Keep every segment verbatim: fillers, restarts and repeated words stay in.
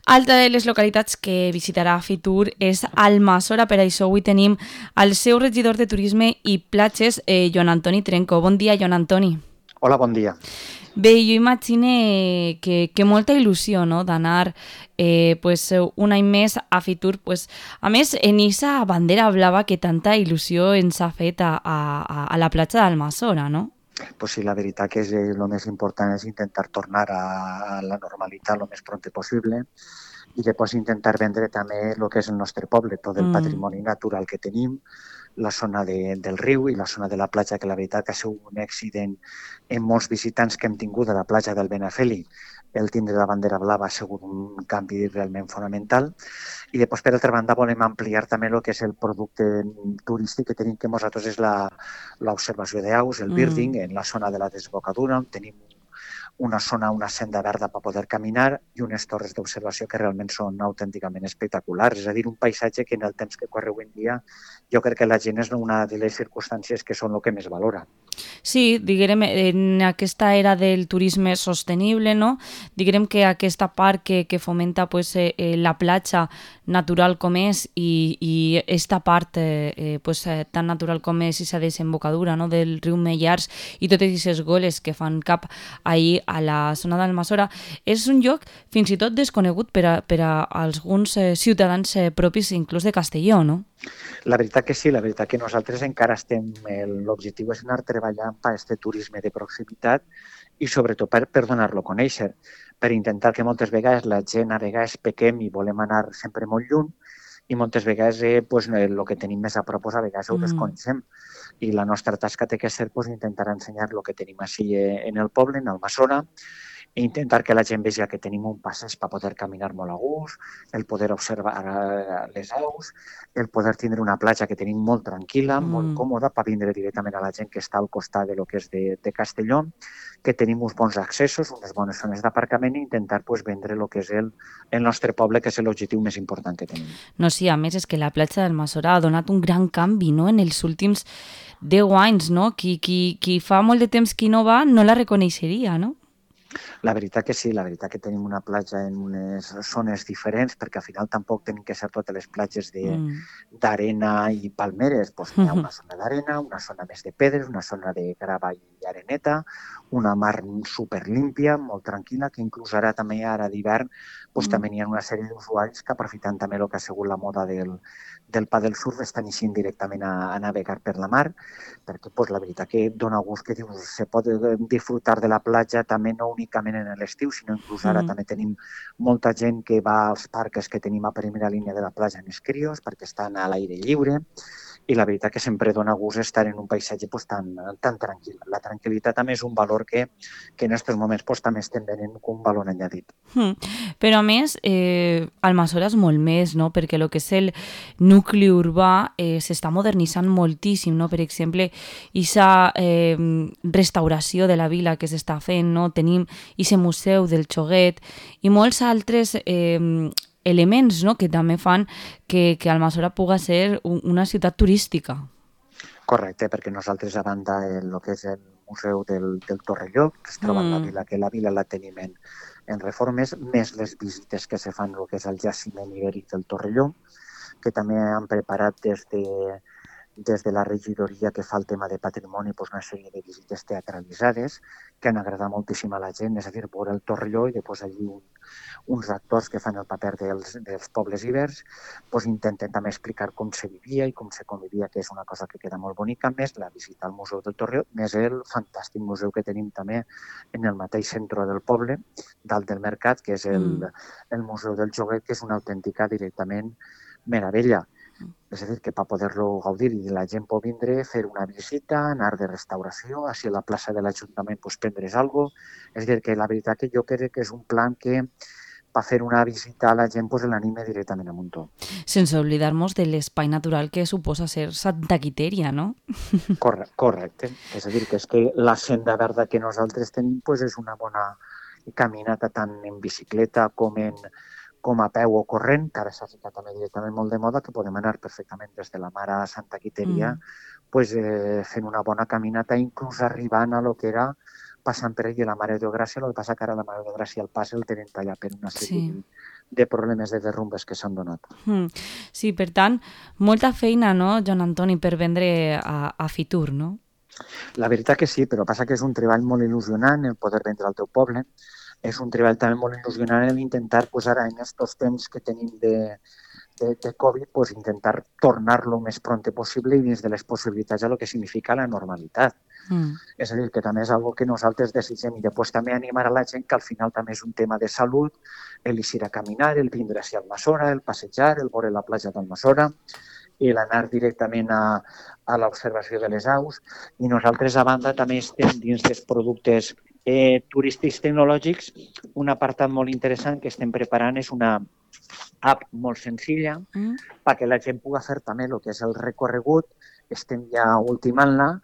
Altra de les localitats que visitarà Fitur és Almassora, per això avui tenim el seu regidor de Turisme i Platges, eh, Joan Antoni Trenco. Bon dia, Joan Antoni. Hola, bon dia. Bé, jo imagine que, que molta il·lusió, no?, d'anar eh, pues, un any més a Fitur. Pues, a més, en aquesta bandera blava que tanta il·lusió ens ha fet a, a, a la platja d'Almassora, no? Pues sí, la veritat que és, eh, el més important és intentar tornar a, a la normalitat el més pront possible i després intentar vendre també el que és el nostre poble, tot el Mm. patrimoni natural que tenim, la zona de, del riu i la zona de la platja, que la veritat que ha sigut un èxit en, en molts visitants que hem tingut a la platja del Benafeli. El tindre la bandera blava ha sigut un canvi realment fonamental. I després, per altra banda, volem ampliar també el que és el producte turístic que tenim, que nosaltres és la, l'observació d'aus, el birding, Mm. en la zona de la desembocadura, on tenim una zona, una senda verda per poder caminar i unes torres d'observació que realment són autènticament espectaculars. És a dir, un paisatge que en el temps que corre avui en dia jo crec que la gent és una de les circumstàncies que són el que més valora. Sí, diguem, en aquesta era del turisme sostenible, no? Diguem que aquesta part que, que fomenta pues, eh, eh, la platja natural com és i, i esta part eh, eh, pues, eh, tan natural com és aquesta desembocadura, no?, del riu Mellars i totes aquestes goles que fan cap ahir a la zona d'Almassora, és un lloc fins i tot desconegut per a, per a alguns eh, ciutadans eh, propis inclús de Castelló, no? La veritat que sí, la veritat que nosaltres encara estem, l'objectiu és anar treballant per aquest turisme de proximitat i sobretot per, per donar-lo a conèixer, per intentar que moltes vegades la gent a vegades pequem i volem anar sempre molt lluny i moltes vegades eh, pues, el que tenim més a prop a vegades ho Mm. desconeixem i la nostra tasca té que ser pues, intentar ensenyar el que tenim així en el poble, en Almassora, i intentar que la gent vegi que tenim un passeig per poder caminar molt a gust, el poder observar les aus, el poder tindre una platja que tenim molt tranquil·la, molt Mm. còmoda, per vindre directament a la gent que està al costat de lo que és de, de Castelló, que tenim uns bons accessos, unes bones zones d'aparcament i intentar pues, vendre el que és el, el nostre poble, que és l'objectiu més important que tenim. No, sí, a més és que la platja d'Almassora ha donat un gran canvi, no?, en els últims deu anys, no? Qui, qui, qui fa molt de temps que no va no la reconeixeria, no? La veritat que sí, la veritat que tenim una platja en unes zones diferents, perquè al final tampoc tenim que ser totes les platges Mm. d'arena i palmeres. Pues n'hi ha una zona d'arena, una zona més de pedres, una zona de grava i areneta, una mar superlímpia, molt tranquil·la, que inclús ara també, ara d'hivern, pues, Mm. també n'hi ha una sèrie d'usuaris que aprofitant també el que ha sigut la moda del, del paddle surf estan eixint directament a, a navegar per la mar, perquè pues, la veritat que dona gust que dius, se pot disfrutar de la platja també no únicament en l'estiu, sinó inclús ara Mm. també tenim molta gent que va als parcs que tenim a primera línia de la platja en els crios perquè estan a l'aire lliure i la veritat que sempre dona gust estar en un paisatge pues, tan, tan tranquil. La tranquil·litat també és un valor que, que en aquests moments pues, també estem venent com un valor añadit. Mm. Però a més, eh, Almassora és molt més, no?, perquè el que és el nucli urbà eh, s'està modernitzant moltíssim, no? Per exemple, aquesta eh, restauració de la vila que s'està fent, no? Tenim aquest museu del Xoguet i molts altres eh, elements, no?, que també fan que, que Almassora puga ser un, una ciutat turística. Correcte, perquè nosaltres a banda el que és el Museu del, del Torrelló, que es troba en la Mm. vila, que la vila la tenim en, en reformes, més les visites que se fan el que és el jaciment ibèric del Torrelló, que també han preparat des de, des de la regidoria que fa el tema de patrimoni doncs una sèrie de visites teatralitzades que han agradat moltíssim a la gent, és a dir, veure el Torrelló i després allí un, uns actors que fan el paper dels, dels pobles ibers doncs intenten també explicar com se vivia i com se convivia, que és una cosa que queda molt bonica, més la visita al Museu del Torrelló, més el fantàstic museu que tenim també en el mateix centre del poble, dalt del mercat, que és el, Mm. el Museu del Joguet, que és una autèntica directament meravella. És a dir, que per poder-lo gaudir i la gent pot vindre, fer una visita, anar de restauració, així a la plaça de l'Ajuntament pues, prendre's alguna cosa. És a dir, que la veritat que jo crec que és un plan que per fer una visita a la gent pues, l'anime directament a Muntó. Sense oblidar-nos de l'espai natural que suposa ser Santa Quiteria, no? Corre, correcte. És a dir, que és que la senda verda que nosaltres tenim pues, és una bona caminata tant en bicicleta com en com a peu o corrent, que ara s'ha ficat també directament molt de moda, que podem anar perfectament des de la Mare a Santa Quiteria Mm. pues, eh, fent una bona caminata, inclús arribant a lo que era passant per allà la Mare de Gràcia. El que passa que ara la Mare de Gràcia el pas el tenen tallat per una sèrie Sí. de, de problemes de derrumbes que s'han donat. Mm. Sí, per tant, molta feina, no, Joan Antoni, per vendre a, a Fitur, no? La veritat que sí, però passa que és un treball molt il·lusionant el poder vendre al teu poble. És un treball també molt il·lusionant el intentar, pues, ara en aquests temps que tenim de, de, de Covid, pues, intentar tornar-lo el més pront possible i dins de les possibilitats a lo que significa la normalitat. Mm. És a dir, que també és algo que nosaltres desitgem i després també animar a la gent que al final també és un tema de salut, el eixir a caminar, el vindre a Almassora, el passejar, el veure la platja d'Almassora, i l'anar directament a, a l'observació de les aus. I nosaltres, a banda, també estem dins dels productes eh, turístics tecnològics. Un apartat molt interessant que estem preparant és una app molt senzilla Mm. perquè la gent pugui fer també el que és el recorregut. Estem ja ultimant-la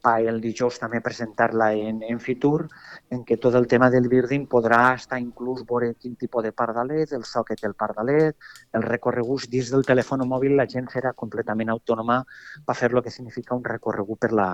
per el dijous també presentar-la en, en Fitur, en què tot el tema del birding podrà estar inclús veure quin tipus de pardalet, el so que té el pardalet, el recorregut dins del telèfon mòbil, la gent serà completament autònoma per fer el que significa un recorregut per la,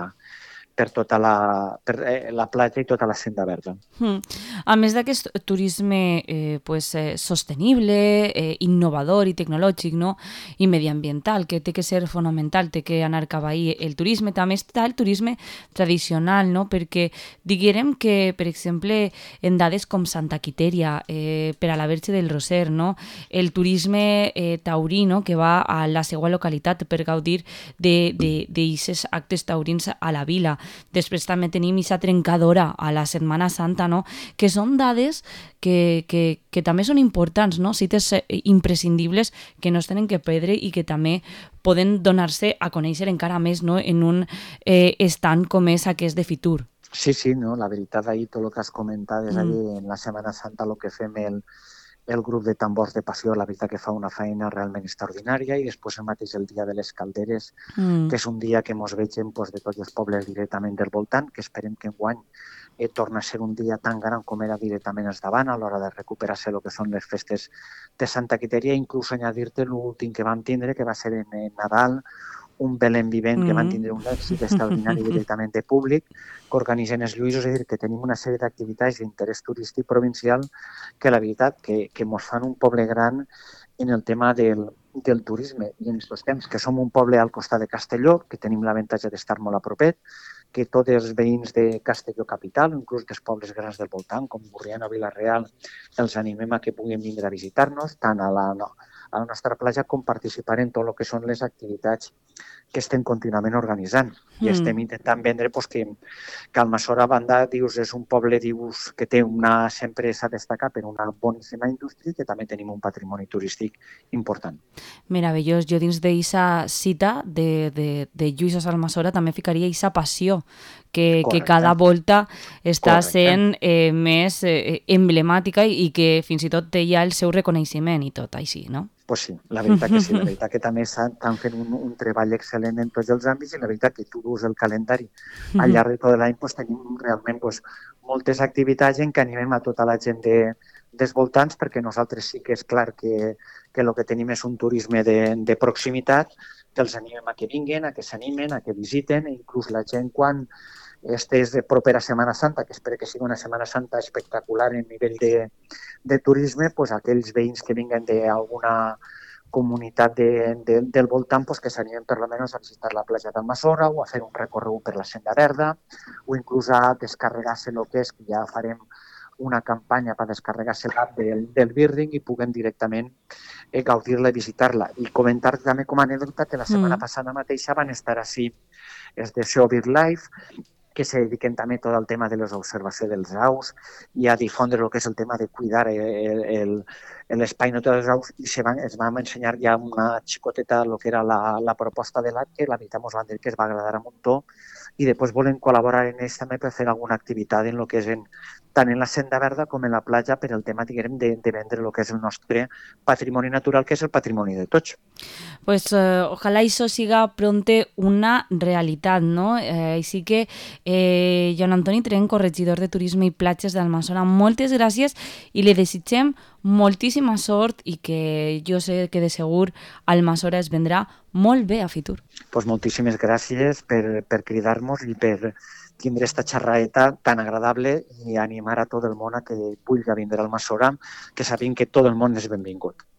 per tota la, per, eh, la platja i tota la senda verda. Mm. A més d'aquest turisme eh, pues, eh, sostenible, eh, innovador i tecnològic, no? I mediambiental, que té que ser fonamental, té que anar cap ahí el turisme, també està el turisme tradicional, no? Perquè diguérem que, per exemple, en dades com Santa Quitèria, eh, per a la Verge del Roser, no? El turisme eh, taurí, no? Que va a la seva localitat per gaudir d'aquests actes taurins a la vila. Després també tenim aquesta trencadora a la Setmana Santa, no? Que són dades que, que, que també són importants, no? Cites imprescindibles que no es tenen que perdre i que també poden donar-se a conèixer encara més, no? En un eh, estant com és aquest de Fitur. Sí, sí, no? La veritat, ahir tot el que has comentat és Mm. ahir en la Setmana Santa el que fem el, el grup de tambors de passió, la veritat que fa una feina realment extraordinària, i després el mateix el dia de les calderes, Mm. que és un dia que ens vegem pues, de tots els pobles directament del voltant, que esperem que enguany eh, torna a ser un dia tan gran com era directament els davant a l'hora de recuperar-se el que són les festes de Santa Quitèria, inclús añadir-te l'últim que vam tindre, que va ser en, en Nadal, un Belén vivent mm -hmm. que van tindre un èxit extraordinari directament de públic, que organitzen els Lluïsos, és a dir, que tenim una sèrie d'activitats d'interès turístic provincial que la veritat que, que mos fan un poble gran en el tema del, del turisme. I en aquests temps que som un poble al costat de Castelló, que tenim l'avantatge d'estar molt a propet, que tots els veïns de Castelló capital, inclús dels pobles grans del voltant, com Borriana o Vila-real, els animem a que puguin vindre a visitar-nos, tant a la, no, a la nostra platja com participar en tot el que són les activitats que estem contínuament organitzant. Mm. I estem intentant vendre pues, que, que Almassora, a banda, dius, és un poble dius, que té una, sempre s'ha destacat per una boníssima indústria i que també tenim un patrimoni turístic important. Meravellós. Jo dins d'eixa cita de, de, de Lluïsos Almassora també ficaria eixa passió que, que cada volta està Correcte. sent eh, més eh, emblemàtica i, i que fins i tot té ja el seu reconeixement i tot així, no? Pues sí, la veritat que sí, la veritat que també estan fent un, un treball excel·lent en tots els àmbits, i la veritat que tu dus el calendari al llarg de tot l'any, pues, tenim realment pues, moltes activitats en què animem a tota la gent de, dels voltants, perquè nosaltres sí que és clar que, que el que tenim és un turisme de, de proximitat, que els animem a que vinguin, a que s'animen, a que visiten, i inclús la gent quan estés de propera Setmana Santa, que espero que sigui una Setmana Santa espectacular en nivell de, de turisme, pues aquells veïns que vinguen d'alguna comunitat de, de, del voltant pues que s'animen per almenys a visitar la platja d'Almassora o a fer un recorregut per la Senda Verda o inclús a descarregar-se el que és, que ja farem una campanya per descarregar-se l'app del, del Birding i puguen directament eh, gaudir-la i visitar-la. I comentar també com a anècdota que la setmana mm. passada mateixa van estar així els de Show BirdLife, que se dediquen també tot al tema de l'observació dels aus i a difondre el que és el tema de cuidar l'espai natural dels aus, i se van, es van ensenyar ja una xicoteta el que era la, la proposta de l'app, que la veritat ens van dir que es va agradar a muntó, i després volen col·laborar en ells també per fer alguna activitat en el que és en, tant en la Senda Verda com en la platja, per el tema, diguem, de, de vendre el que és el nostre patrimoni natural, que és el patrimoni de tots. Pues eh, ojalá eso siga pronto una realidad, ¿no? Eh, així que, eh, Joan Antoni Trenco, regidor de Turisme i Platges d'Almassora, moltes gràcies i li desitgem moltíssima sort i que jo sé que de segur Almassora es vendrà molt bé a Fitur. Pues moltíssimes gràcies per, per cridar-nos i per, tindre esta xerraeta tan agradable i animar a tot el món a que vulgui vindre al Masora, que sabin que tot el món és benvingut.